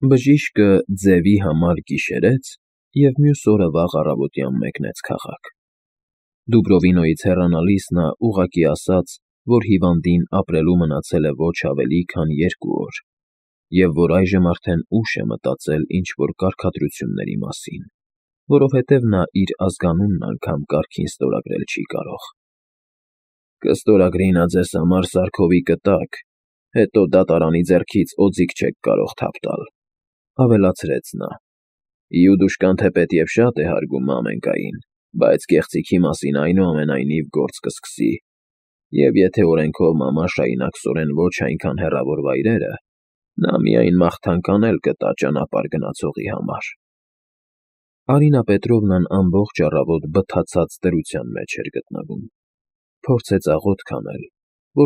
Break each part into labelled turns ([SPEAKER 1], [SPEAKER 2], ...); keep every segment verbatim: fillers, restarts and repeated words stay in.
[SPEAKER 1] Բժիշկը ձևի համար գիշերեց և մյուս օրը վաղ առավոտյան մեկնեց քաղաք. Դուբրովինոյից հեռանալիս նա ուղղակի ասաց, որ հիվանդին ապրելու մնացել է ոչ ավելի, քան երկու օր, և որ այժմ արդեն ուշ է մտածել ինչ֊որ կարգադրությունների մասին, որովհետև նա իր ազգանունն անգամ կարգին ստորագրել չի կարող։ ֊ Կստորագրի նա ձեզ համար սարքովի կտակ, հետո դատարանի ձեռքից օձիք չեք կարող թափ տալ,֊ ավելացրեց նա,֊ իուդուշկան թեպետև շատ է հարգում մամենկային, բայց գեղձիքի մասին այնուամենայնիվ գործ կսկսի, և եթե օրենքով մաման շարունակսորեն ոչ այնքան հեռավոր վայրերը, նա միայն մաղթանք անել կտա ճանապարհ գնացողի համար… Արինա Պետրովնան ամբողջ առավոտ բթացած դրության մեջ էր գտնվում, փորձեց աղոթք անել,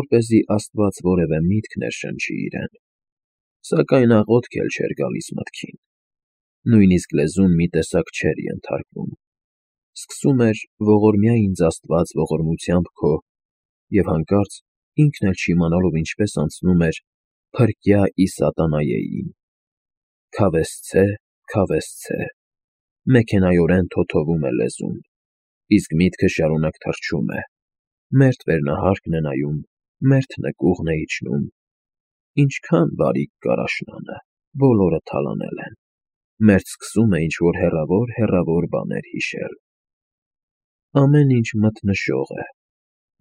[SPEAKER 1] որպեսզի աստված որևէ միտք ներշնչի իրեն, սակայն աղոթք էլ չէր գալիս մտքին, նույնիսկ լեզուն մի տեսակ չէր ենթարկվում, սկսում էր ողորմյա ինձ աստված ողորմությամբ քո, և հանկարծ ինքն էլ չիմանալով ինչպես անցնում էր «Փրկյա ի սատանայեին», «Քավեսցե, քավեսցե», մեքենայորեն թոթովում է լեզուն, իսկ միտքը շարունակ թռչում է, մերթ վերնահարկն է նայում, մերթ նկուղն է իջնում, ինչքա՜ն բարիք կար աշնանը, բոլորը թալանել են, մերթ սկսում է ինչ֊որ հեռավոր֊հեռավոր բաներ հիշել… Ամեն ինչ մթնշող է,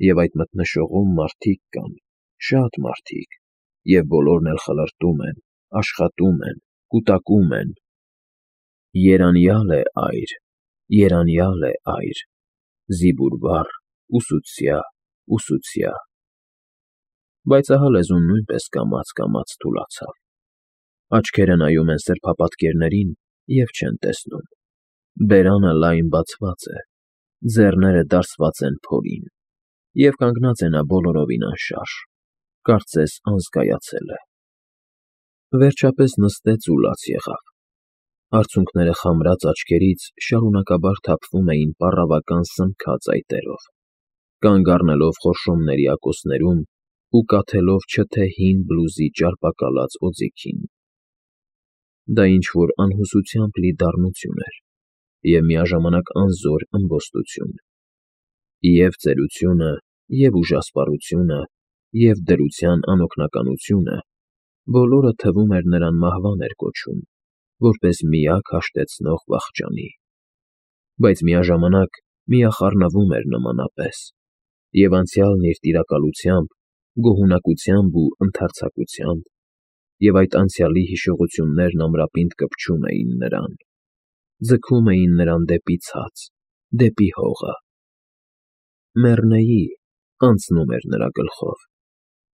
[SPEAKER 1] և այդ մթնշողում մարդիկ կան, շատ մարդիկ, և բոլորն էլ խլրտում են, աշխատում են, կուտակում են… Երանյալ է այր, երանյալ է այր, զինվորվառ, ուսուցյա, ուսուցյա… Բայց ահա լեզուն նույնպես կամաց֊կամաց թուլացավ, աչքերը նայում են սրբապատկերներին և չեն տեսնում, բերանը լայն բացված է, ձեռները դարսված են փորին, և կանգնած է նա բոլորովին անշարժ, կարծես անզգայացել է… Վերջապես նստեց ու լաց եղավ, արցունքները խամրած աչքերից շարունակաբար թափվում էին պառավական սնքած այտերով, կանգ առնելով խորշոմների ակոսներում ու կաթելով չթե հին բլուզի ճարպակալած օձիքին… Դա ինչ֊որ անհուսությամբ լի դառնություն էր և միաժամանակ անզոր ըմբոստություն, և՛ ծերությունը, և՛ ուժասպառությունը, և՛ դրության անօգնականությունը բոլորը, թվում էր, նրան մահվան էր կոչում, որպես միակ հաշտեցնող վախճանի, բայց միաժամանակ միախառնվում էր նմանապես, և անցյալն իր տիրակալությամբ, գոհունակությամբ ու ընդարձակությամբ, և այդ անցյալի հիշողություններն ամրապինդ կպչում էին նրան, ձգում էին նրան դեպի ցած, դեպի հողը… «Մեռնեի» անցնում էր նրա գլխով,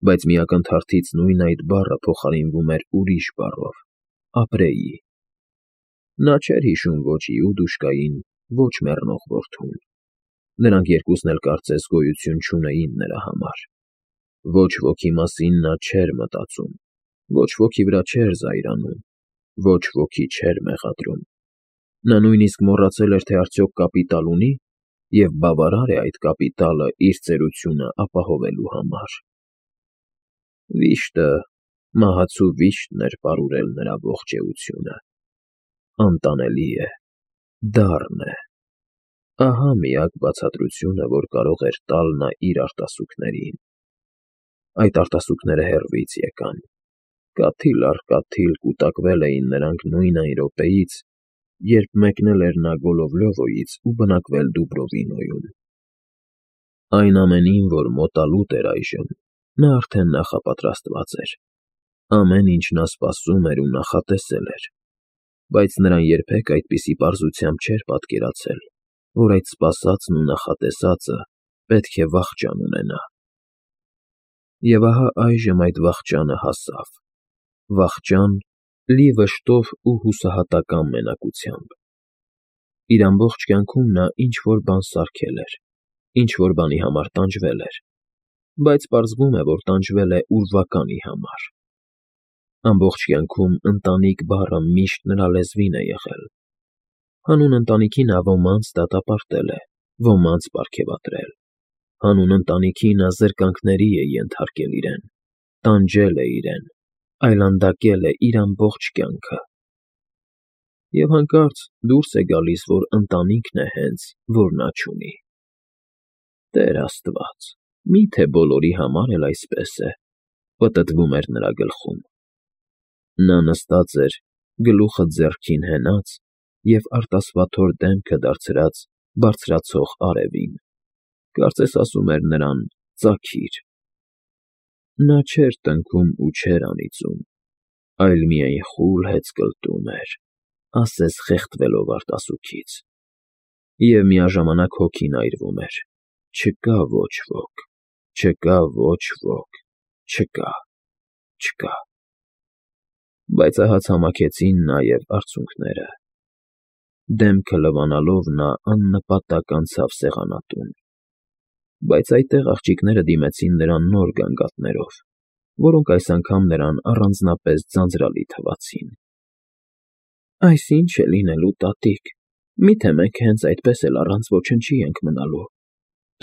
[SPEAKER 1] բայց մի ակնթարթից նույն այդ բառը փոխարինվում էր ուրիշ բառով՝ «ապրեի»… Նա չէր հիշում ոչ Իուդուշկային, ոչ մեռնող որդուն, նրանք երկուսն էլ կարծես գոյություն չունեին նրա համար, ոչ ոքի մասին նա չէր մտածում, ոչ ոքի վրա չէր զայրանում, ոչ ոքի չէր մեղադրում, նա նույնիսկ մոռացել էր, թե արդյոք կապիտալ ունի և բավարար է այդ կապիտալը իր ծերությունը ապահովելու համար… Վիշտը, մահացու վիշտն էր պարուրել նրա ողջ էությունը… Անտանելի է, դառն է… Ահա միակ բացատրությունը, որ կարող էր տալ նա իր արտասուքներին… Այդ արտասուքները հեռվից եկան, կաթիլ առ կաթիլ կուտակվել էին նրանք նույն այն րոպեից, երբ մեկնել էր նա Գոլովլյովոյից ու բնակվել Դուբրովինոյում… Այն ամենին, որ մոտալուտ էր այժմ, նա արդեն նախապատրաստված էր, ամեն ինչ նա սպասում էր ու նախատեսել էր, բայց նրան երբեք այդպիսի պարզությամբ չէր պատկերացել, որ այդ սպասածն ու նախատեսածը պետք է վախճան ունենա… Եվ ահա այժմ այդ վախճանը հասավ, վախճան, լի վշտով ու հուսահատական մենակությամբ… Իր ամբողջ կյանքում նա ինչ֊որ բան սարքել էր, ինչ֊որ բանի համար տանջվել էր, բայց պարզվում է, որ տանջվել է ուրվականի համար… Ամբողջ կյանքում «ընտանիք» բառը միշտ նրա լեզվին է եղել, հանուն ընտանիքի նա ոմանց դատապարտել է, ոմանց պարգևատրել, հանուն ընտանիքի նա զրկանքների է ենթարկել իրեն, տանջել է իրեն, այլանդակել է իր ամբողջ կյանքը։ Եվ հանկարծ դուրս է գալիս, որ ընտանիքն է հենց, որ նա չունի։ Տեր Աստված, մի՞թե բոլորի համար էլ այսպես է, պտտվում էր նրա գլխում։ Նա նստած էր, գլուխը ձեռքին հենած և արտասվաթոր դեմքը դարձրած բարձրացող արևին, կարծես ասում էր նրան. «Ծագիր»։ Նա չէր տնքում ու չէր անիծում, այլ միայն խուլ հեծկլտում էր, ասես խեղդվելով արտասուքից, և միաժամանակ հոգին այրվում էր. չկա ոչ ոք, չկա ոչ ոք, չկա, չկա… Բայց ահա ցամաքեցին նաև արցունքները… Դեմքը լվանալով նա աննպատակ անցավ սեղանատուն, բայց այդտեղ աղջիկները դիմեցին նրան նոր գանգատներով, որոնք այս անգամ նրան առանձնապես ձանձրալի թվացին։ ֊ Այս ի՞նչ է լինելու, տատիկ, մի՞թե մենք հենց այդպես էլ առանց ոչնչի ենք մնալու,֊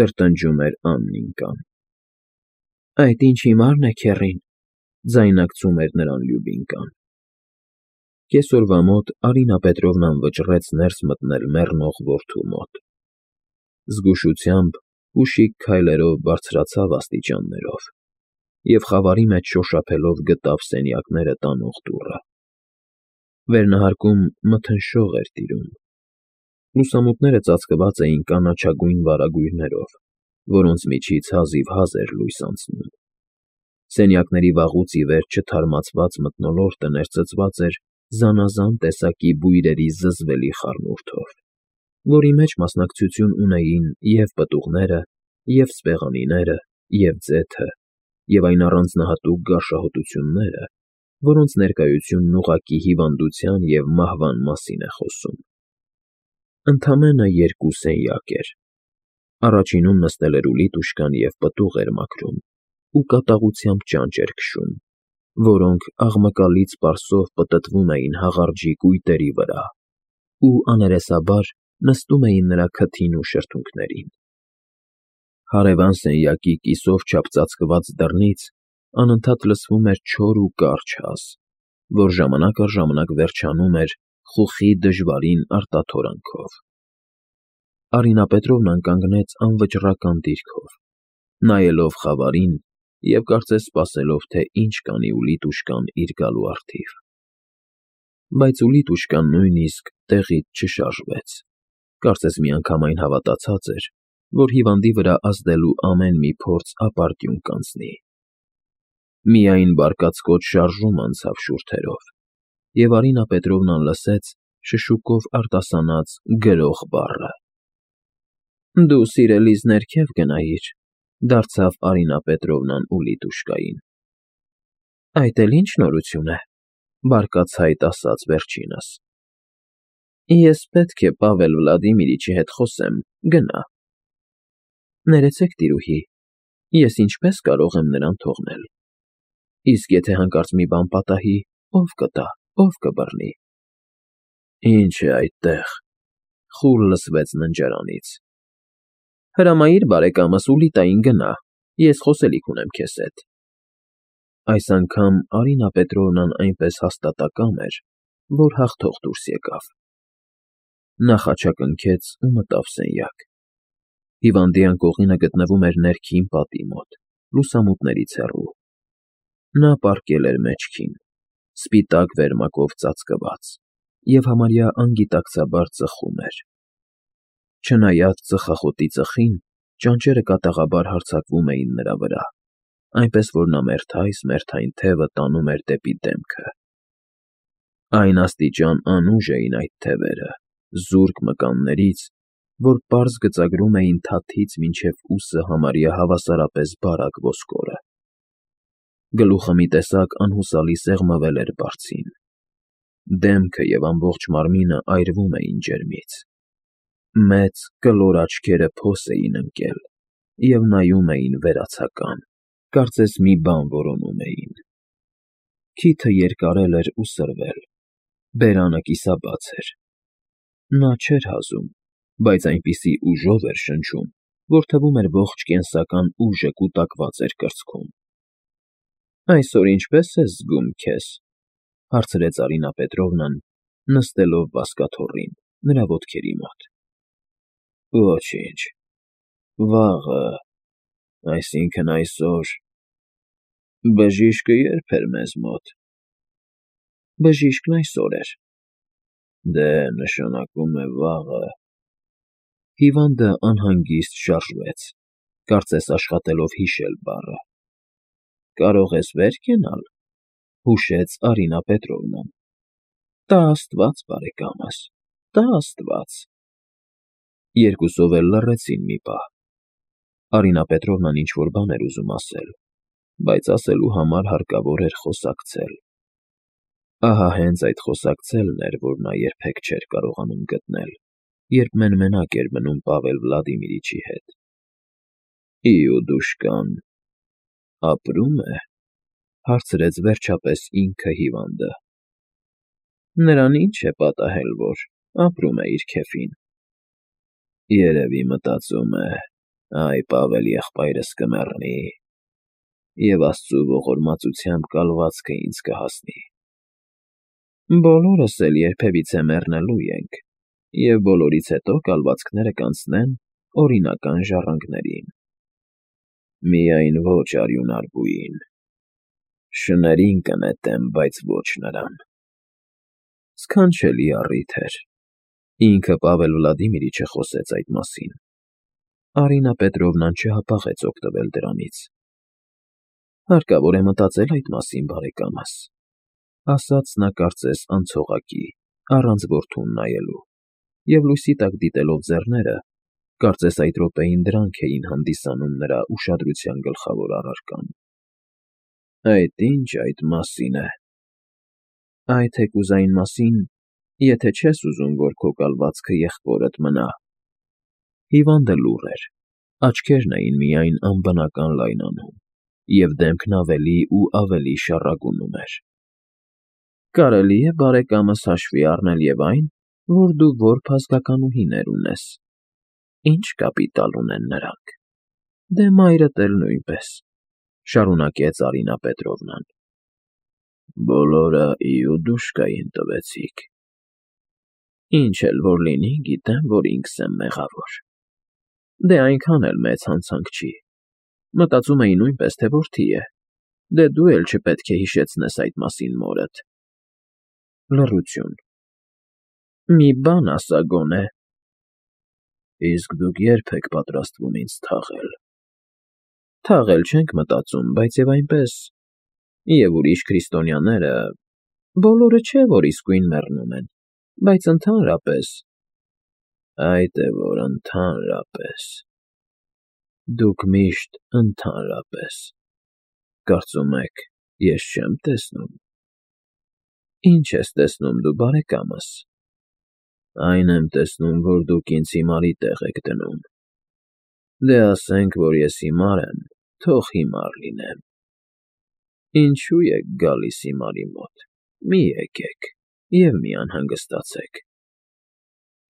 [SPEAKER 1] տրտնջում էր Աննիկան։ ֊ Այդ ինչ հիմարն է, քեռին,֊ ձայնարկում էր նրան Լյուբինկան։ Կեսօրվա մոտ Արինա Պետրովնան վճռեց ներս մտնել մեռնող որդու մոտ։ Զգուշությամբ, ուշիկ քայլերով բարձրացավ աստիճաններով և խավարի մեջ շոշափելով գտավ սենյակները տանող դուռը։ Վերնահարկում մթնշող էր տիրում։ Լուսամուտները ծածկված էին կանաչագույն վարագույրներով, որոնց միջից հազիվհազ էր լույս անցնում։ Սենյակների վաղուց ի վեր չթարմացված մթնոլորտը ներծծված էր զանազան տեսակի բույրերի զզվելի խառնուրդով, որի մեջ մասնակցություն ունեին և պտուղները, և սպեղանիները, և ձեթը, և այն առանձնահատուկ գարշահոտությունները, որոնց ներկայությունն ուղղակի հիվանդության և մահվան մասին է խոսում։ Ընդամենը երկու սենյակ էր. առաջինում նստել էր Ուլիտուշկան և պտուղ էր մաքրում ու կատաղությամբ ճանճ էր քշում, որոնք աղմկալից պարսով պտտվում էին հաղարջի կույտերի վրա ու աներեսաբար նստում էին նրա քթին ու շրթունքներին։ Հարևան սենյակի կիսով չափ ծածկված դռնից անընդհատ լսվում էր չոր ու կարճ հաս, որ ժամանակ առ ժամանակ վերջանում էր խուխի դժվարին արտաթորանքով։ Արինա Պետրովնան կանգնեց անվճռական դիրքով, նայելով խավարին և կարծես սպասելով, թե ինչ կանի Ուլիտուշկան իր գալու առթիվ։ Բայց Ուլիտուշկան նույնիսկ տեղից չշարժվեց, կարծես միանգամայն հավատացած էր, որ հիվանդի վրա ազդելու ամեն մի փորձ ապարդյուն կանցնի։ Միայն բարկացկոտ շարժում անցավ շուրթերով, և Արինա Պետրովնան լսեց շշուկով արտասանած «գրող» բառը։ ֊ Դու, սիրելիս, ներքև գնայիր,֊ դարձավ Արինա Պետրովնան Ուլիտուշկային։ ֊ Այդ էլ ի՞նչ նորություն է,֊ բարկացած ասաց վերջինս։ ֊ Ես պետք է Պավել Վլադիմիրիչի հետ խոսեմ, գնա… ֊ Ներեցեք, տիրուհի, ես ինչպե՞ս կարող եմ նրան թողնել… Իսկ եթե հանկարծ մի բան պատահի, ո՞վ կտա, ո՞վ կբռնի… ֊ Ի՞նչ է այդտեղ,֊ խուլ լսվեց ննջարանից։ ֊ Հրամայիր բարեկամս Ուլիտային գնա, ես խոսելիք ունեմ քեզ հետ… Այս անգամ Արինա Պետրովնան այնպես հաստատակամ էր, որ հաղթող դուրս եկավ։ Նա խաչակնքեց ու մտավ սենյակ։ Հիվանդի անկողինը գտնվում էր ներքին պատի մոտ, լուսամուտներից հեռու։ Նա պառկել էր մեջքին, սպիտակ վերմակով ծածկված, և համարյա անգիտակցաբար ծխում էր։ Չնայած ծխախոտի ծխին, ճանճերը կատաղաբար հարձակվում էին նրա վրա, այնպես որ նա մերթ-այս֊մերթային թևը տանում էր դեպի դեմքը։ Այն աստիճան անուժ էին այդ թևերը, զուրկ մկաններից, որ պարզ գծագրում էին թաթից մինչև ուսը համարյա հավասարապես բարակ ոսկորը։ Գլուխը մի տեսակ անհուսալի սեղմվել էր բարձին։ Դեմքը և ամբողջ մարմինը այրվում էին ջերմից։ Մեծ կլոր աչքերը փոս էին ընկել և նայում էին վերացական, կարծես մի բան որոնում էին։ Քիթը երկարել էր ու սրվել, բերանը կիսաբաց էր։ Նա չէր հազում, բայց այնպիսի ուժով էր շնչում, որ թվում էր ողջ կենսական ուժը կուտակված էր կրծքում։ Այսօր ինչպե՞ս ես զգում քեզ,֊ հարցրեց Արինա Պետրովնան, նստելով բազկաթոռին, նրա ոտքերի մոտ։ Ոչինչ, վաղը, այսինքն այսօր… Բժիշկը ե՞րբ էր մեզ մոտ։ Բժիշկն այսօր էր։ Դե, նշանակում է վաղը… Հիվանդը անհանգիստ շարժվեց, կարծես աշխատելով հիշել բառը։ Կարող ես վեր կենալ,֊ հուշեց Արինա Պետրովնան։ Տա աստված, բարեկամս, տա աստված… Երկուսով էլ լռեցին մի պահ։ Արինա Պետրովնան ինչ֊որ բան էր ուզում ասել, բայց ասելու համար հարկավոր էր խոսակցել։ Ահա հենց այդ խոսակցելն էր, որ նա երբեք չէր կարողանում գտնել, երբ մեն֊մենակ էր մնում Պավել Վլադիմիրիչի հետ։ Իուդուշկան ապրո՞ւմ է,֊ հարցրեց վերջապես ինքը հիվանդը։ Նրան ինչ է պատահել, որ ապրում է իր քեֆին։ Երևի մտածում է. «Այ Պավել եղբայրս կմեռնի, և աստծու ողորմածությամբ կալվածքը ինձ կհասնի։ Բոլորս էլ երբևիցե մեռնելու ենք, և բոլորից հետո կալվածքները կանցնեն օրինական ժառանգներին։ Միայն ոչ արյունար բույին… Շներին կնետեմ, բայց ոչ նրան»։ Սքանչելի առիթ էր։ Ինքը Պավել Վլադիմիրիչը խոսեց այդ մասին։ Արինա Պետրովնան չհապաղեց օգտվել դրանից։ Հարկավոր է մտածել այդ մասին, բարեկամս,֊ ասաց նա կարծես անցողակի, առանց որդուն նայելու, և լույսի տակ դիտելով ձեռները, կարծես այդ րոպեին դրանք էին հանդիսանում նրա ուշադրության գլխավոր առարկան։ Այդ ի՞նչ այդ մասին է։ Այդ թեկուզ այն մասին, եթե չես ուզում, որ քո կալվածքը եղբորդ մնա։ Հիվանդը լուռ էր, աչքերն էին միայն անբնական լայնանում, և դեմքն ավելի ու ավելի շառագունում էր։ Կարելի է, բարեկամս, հաշվի առնել և այն, որ դու որբ ազգականուհիներ ունես։ Ի՞նչ կապիտալ ունեն նրանք։ Դե մայրդ էլ նույնպես,֊ շարունակեց Արինա Պետրովնան։ Բոլորը Իուդուշկային տվեցիք։ Ինչ էլ որ լինի, գիտեմ, որ ինքս եմ մեղավոր։ Դե այնքան էլ մեծ հանցանք չի։ Մտածում էի նույնպես, թե որդի է։ Դե դու էլ չպետք է հիշեցնես այդ մասին մորդ։ Լռություն։ Մի բան ասա գոնե։ Իսկ դուք ե՞րբ եք պատրաստվում ինձ թաղել։ Թաղել չենք մտածում, բայց և այնպես… Եվ ուրիշ քրիստոնյաները… Բոլորը չէ, որ իսկույն մեռնում են, բայց ընդհանրապես… Այդ է որ ընդհանրապես… Դուք միշտ ընդհանրապես… Կարծում եք, ես չեմ տեսնում… Ի՞նչ ես տեսնում դու, բարեկամս։ Այն եմ տեսնում, որ դուք ինձ հիմարի տեղ եք դնում։ Դե ասենք, որ ես հիմար եմ, թող հիմար լինեմ։ Ինչո՞ւ եք գալիս հիմարի մոտ, մի եկեք և մի անհանգստացեք։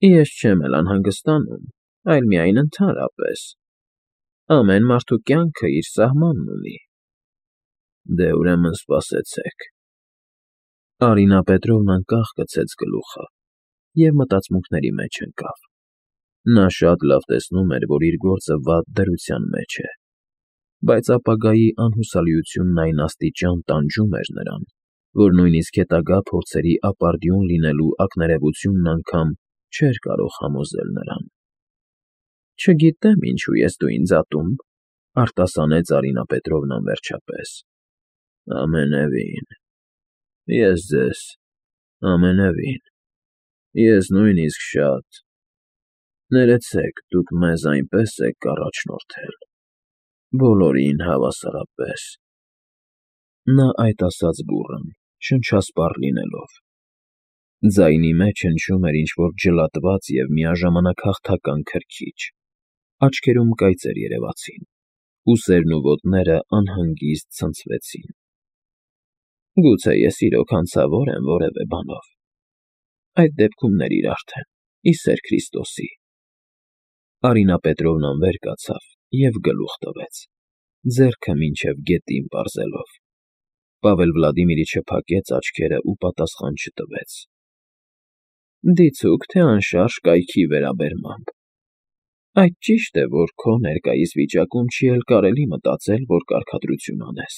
[SPEAKER 1] Ես չեմ էլ անհանգստանում, այլ միայն ընդհանրապես… Ամեն մարդու կյանքը իր սահմանն ունի։ Դե ուրեմն սպասեցեք… Արինա Պետրովնան կախ գցեց գլուխը և մտածմունքների մեջ ընկավ։ Նա շատ լավ տեսնում էր, որ իր գործը վատ դրության մեջ է, բայց ապագայի անհուսալիությունն այն աստիճան տանջում էր նրան, որ նույնիսկ հետագա փորձերի ապարդյուն լինելու ակնարևությունն անգամ չէր կարող համոզել նրան։ Չգիտեմ ինչու ես դու ինձ ատում,֊ արտասանեց Արինա Պետրովնան վերջապես։ Ամենևին… Ես ձեզ… Ամենևին… Ես նույնիսկ շատ… Ներեցեք, դուք մեզ այնպես եք առաջնորդել… Բոլորին հավասարապես… Նա այդ ասաց բուռն, շնչասպառ լինելով։ Ձայնի մեջ հնչում էր ինչ֊որ ջլատված և միաժամանակ հաղթական քրքիջ, աչքերում կայծեր երևացին, ուսերն ու ոտները անհանգիստ ցնցվեցին։ Գուցե ես իրոք հանցավոր եմ որևէ բանով… Այդ դեպքում ների արդեն, ի սեր Քրիստոսի… Արինա Պետրովնան վեր կացավ և գլուխ տվեց, ձեռքը մինչև գետին պարզելով։ Պավել Վլադիմիրիչը փակեց աչքերը ու պատասխան չտվեց։ Դիցուք թե անշարժ կայքի վերաբերմամբ։ Այդ ճիշտ է, որ քո ներկայիս վիճակում չի էլ կարելի մտածել, որ կարգադրություն անես։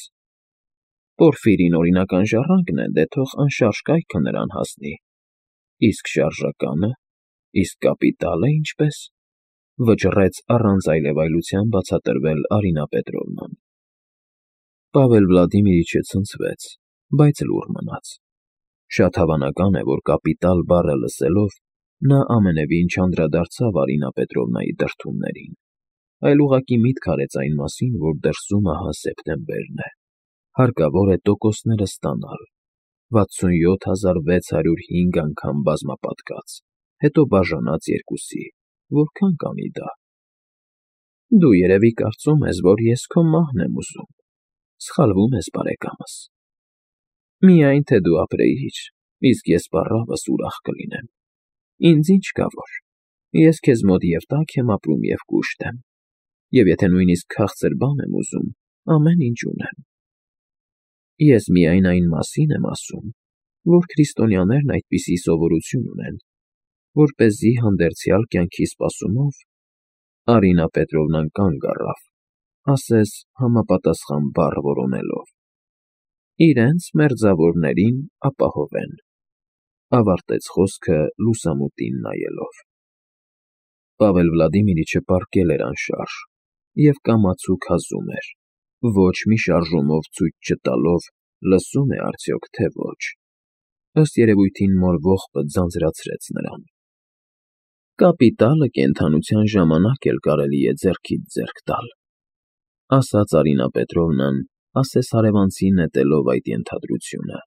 [SPEAKER 1] Պորֆիրին օրինական ժառանգն է, դե թող անշարժ կայքը նրան հասնի։ Իսկ շարժականը, իսկ կապիտալը ինչպես, վճռեց առանց այլևայլության բացատրվել Արինա Պետրովնան։ Պավել Վլադիմիրիչը ցնցվեց, բայց լուռ մնաց։ Շատ հավանական է, որ կապիտալ բառը լսելով նա ամենևին չանդրադարձավ Արինա Պետրովնայի դրդումներին, այլ ուղղակի միտք արեց այն մասին, որ դրսում ահա սեպտեմբերն է, հարկավոր է տոկոսները ստանալ, վաթսունյոթ հազար վեց հարյուր հինգ անգամ բազմապատկած, հետո բաժանած երկուսի, որքան կանի դա։ Դու երևի կարծում ես, որ ես քո մահն եմ ուզում, սխալվում ես, բարեկամս։ Միայն թե դու ապրեիր, իսկ ես պառավս ուրախ կլինեմ։ Ինձ ինչ կա որ, ես քեզ մոտ և տաք եմ ապրում և կուշտ եմ, և եթե նույնիսկ քաղցր բան եմ ուզում, ամեն ինչ ունեմ։ Ես միայն այն մասին եմ ասում, որ քրիստոնյաներն այդպիսի սովորություն ունեն, որպեսզի հանդերձյալ կյանքի սպասումով Արինա Պետրովնան կանգ առավ, ասես համապատասխան բառ որոնելով, իրենց մերձավորներին ապահովեն, ավարտեց խոսքը լուսամուտին նայելով։ Պավել Վլադիմիրիչը պառկել էր անշարժ և կամացուկ հազում էր, ոչ մի շարժումով ցույց չտալով լսում է արդյոք, թե ոչ։ Ըստ երևույթին մոր ողբը ձանձրացրեց նրան։ Կապիտալը կենդանության ժամանակ էլ կարելի է ձեռքից ձեռք տալ, ասաց Արինա Պետրովնան, ասես հարևանցին նետելով այդ ենթադրությունը,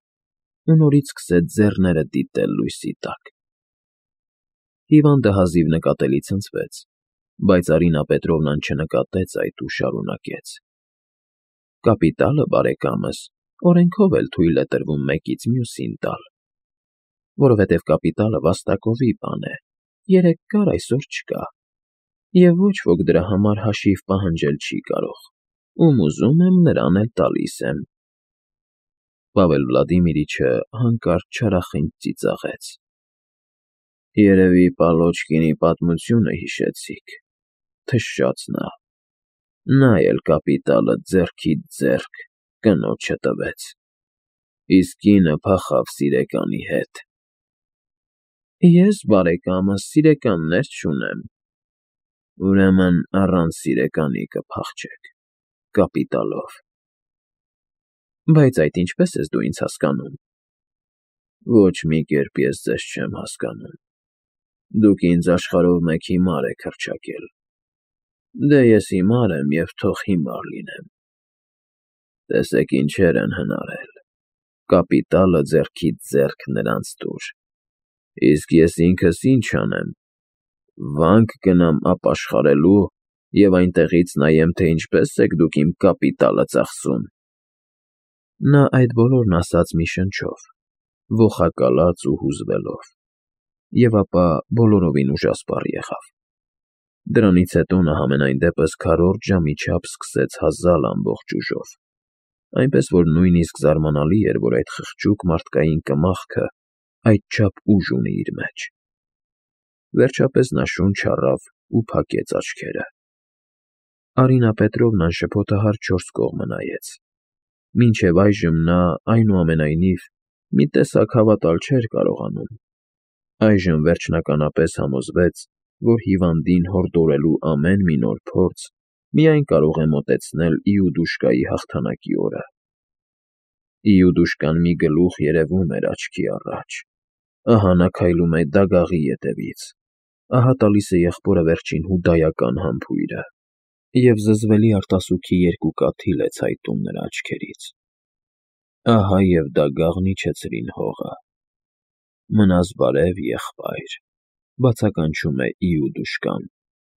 [SPEAKER 1] ու նորից սկսեց ձեռները դիտել լույսի տակ։ Հիվանդը հազիվ նկատելի ցնցվեց, բայց Արինա Պետրովնան չնկատեց այդ ու շարունակեց. Կապիտալը, բարեկամս, օրենքով էլ թույլ է տրվում մեկից մյուսին տալ, որովհետև կապիտալը վաստակովի բան է, երեկ կար, այսօր չկա, և ոչ ոք դրա համար հաշիվ պահանջել չի կարող, ում ուզում եմ, նրան էլ տալիս եմ։ Պավել Վլադիմիրիչը հանկարծ չարախինդ ծիծաղեց. Երևի Պալոչկինի պատմությունը հիշեցիք, թշաց նա, նա էլ կապիտալը ձեռքից ձեռք կնոջը տվեց, իսկ կինը փախավ սիրեկանի հետ։ Ես, բարեկամս, սիրեկաններ չունեմ, ուրեմն առանց սիրեկանի կփախչեք, կապիտալով։ Բայց այդ ինչպես ես դու ինձ հասկանում։ Ոչ մի կերպ ես ձեզ չեմ հասկանում, դուք ինձ աշխարհով մեկ հիմար եք հռչակել, դե ես հիմար եմ և թող հիմար լինեմ։ Տեսեք ինչեր են հնարել, կապիտալը ձեռքից ձեռք նրանց տուր, իսկ ես ինքս ինչ անեմ, վանք գնամ ապաշխարելու և այնտեղից նայեմ, թե ինչպես եք դուք իմ կապիտալը ծախսում։ Նա այդ բոլորն ասաց մի շնչով, ոխակալած ու հուզվելով, և ապա բոլորովին ուժասպառ եղավ։ Դրանից հետո նա համենայն դեպս քառորդ ժամի չափ սկսեց հազալ ամբողջ ուժով, այնպես որ նույնիսկ զարմանալի էր, որ այդ խղճուկ մարդկային կմախքը այդչափ ուժ ունի իր մեջ։ Վերջապես նա շունչ առավ ու փակեց աչքերը։ Արինա Պետրովնան շփոթահար չորս կողմը նայեց։ Մինչև այժմ նա, այնուամենայնիվ, մի տեսակ հավատալ չէր կարողանում։ Այժմ վերջնականապես համոզվեց, որ հիվանդին հորդորելու ամեն մի նոր փորձ միայն կարող է մոտեցնել Իուդուշկայի հաղթանակի օրը։ Իուդուշկան մի գլուխ երևում էր աչքի առաջ, ահա նա քայլում է դագաղի ետևից, ահա տալիս է եղբորը վերջին հուդայական համբույրը, և զզվելի արտասուքի երկու կաթիլ է ցայտում նրա աչքերից։ Ահա և դագաղն իջեցրին հողը։ Մնաս բարև, եղբայր, բացականչում է Իուդուշկան,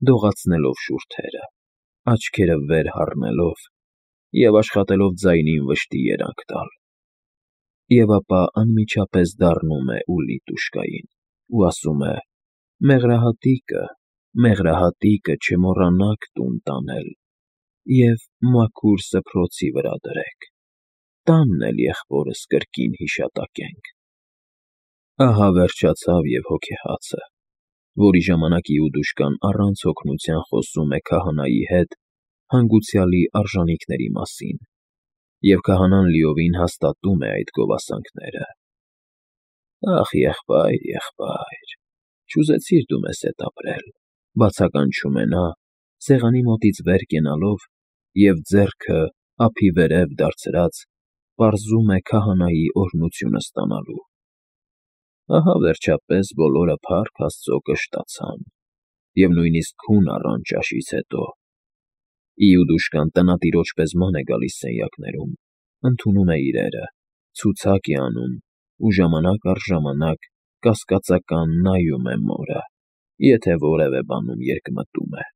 [SPEAKER 1] դողացնելով շուրթերը, աչքերը վեր հառնելով և աշխատելով ձայնին վշտի երանգ տալ։ Եվ ապա անմիջապես դառնում է Ուլիտուշկային ու ասում է. «Մեղրահատիկը, մեղրահատիկը չմոռանաք տուն տանել և մաքուր սփռոցի վրա դրեք, տանն էլ եղբորս կրկին հիշատակենք։ Ահա վերջացավ և հոգեհացը, որի ժամանակ Իուդուշկան առանց օգնության խոսում է քահանայի հետ հանգուցյալի արժանիքների մասին, և քահանան լիովին հաստատում է այդ գովասանքները։ Ախ, եղբայր, եղբայր, չուզեցիր դու մեզ հետ ապրել,֊ բացականչում է նա, սեղանի մոտից վեր կենալով և ձեռքը ափի վերև դարձրած, պարզում է քահանայի օրհնությունը ստանալու։ Ահա, վերջապես, բոլորը փառք Աստծո կշտացան, և նույնիսկ քուն առան ճաշից հետո։ Իուդուշկան տնատիրոջ պես ման է գալիս սենյակներում, ընդունում է իրերը, ցուցակ է անում ու ժամանակ առ ժամանակ կասկածական նայում է մորը, եթե որևէ բանում երկմտում է։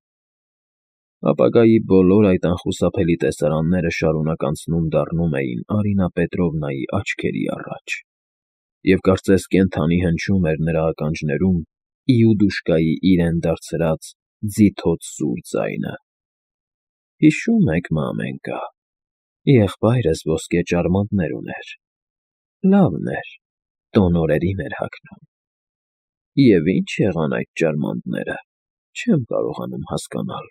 [SPEAKER 1] Ապագայի բոլոր այդ անխուսափելի տեսարանները շարունակ անցնում֊դառնում էին Արինա Պետրովնայի աչքերի առաջ, և կարծես կենդանի հնչում էր նրա ականջներում Իուդուշկայի իրեն դարձրած ձիթոց սուր ձայնը. «Հիշո՞ւմ եք, մամենկա, եղբայրս ոսկե ճարմանտներ ուներ, լավն էր, տոն օրերին էր հագնում։ Եվ ի՞նչ եղան այդ ճարմանտները, չեմ կարողանում հասկանալ»։